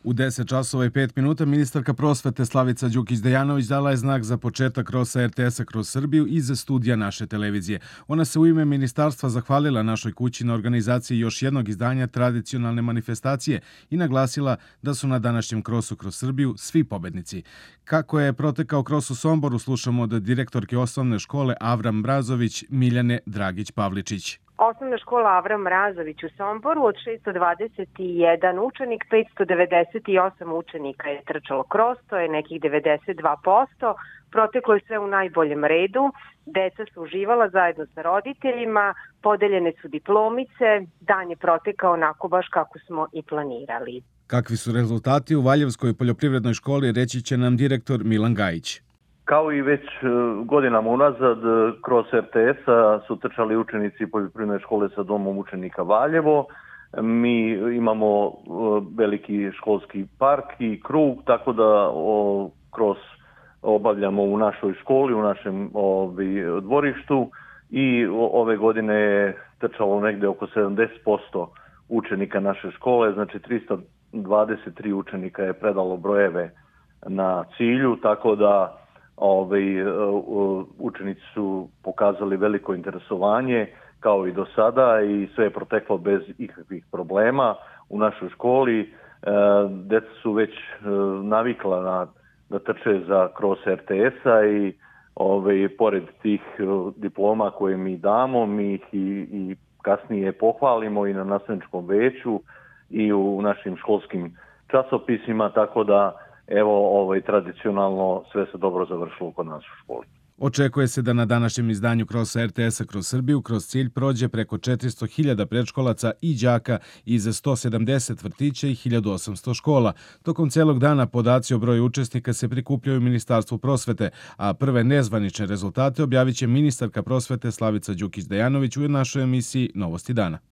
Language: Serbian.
U 10 časova i 5 minuta ministarka prosvete Slavica Đukić-Dejanović dala je znak za početak krosa RTS-a kroz Srbiju iz studija naše televizije. Ona se u ime ministarstva zahvalila našoj kući na organizaciji još jednog izdanja tradicionalne manifestacije i naglasila da su na današnjem krosu kroz Srbiju svi pobednici. Kako je protekao kros u Somboru, slušamo od direktorke osnovne škole Avram Mrazović Miljane Dragić-Pavličić. Osnovna škola Avram Mrazović u Somboru od 621 učenik, 598 učenika je trčalo kros, to je nekih 92%. Proteklo je sve u najboljem redu, deca su uživala zajedno sa roditeljima, podeljene su diplomice, dan je protekao onako baš kako smo i planirali. Kakvi su rezultati u Valjevskoj poljoprivrednoj školi, reći će nam direktor Milan Gajić. Kao i već godinama unazad, kroz RTS-a su trčali učenici poljoprivredne škole sa domom učenika Valjevo. Mi imamo veliki školski park i krug, tako da kroz obavljamo u našoj školi, u našem dvorištu i ove godine je trčalo negde oko 70% učenika naše škole, znači 323 učenika je predalo brojeve na cilju, tako da učenici su pokazali veliko interesovanje kao i do sada i sve je proteklo bez ikakvih problema u našoj školi. Deca su već navikla da trče kroz RTS-a i pored tih diploma koje mi damo, mi ih i kasnije pohvalimo i na nastavničkom veću i u našim školskim časopisima, tako da evo, tradicionalno sve se dobro završilo kod nas u školi. Očekuje se da na današnjem izdanju krosa RTS-a kroz Srbiju kroz cilj prođe preko 400.000 predškolaca i đaka iz 170 vrtića i 1800 škola. Tokom celog dana podaci o broju učesnika se prikupljaju u Ministarstvu prosvete, a prve nezvanične rezultate objavit će ministarka prosvete Slavica Đukić-Dejanović u našoj emisiji Novosti dana.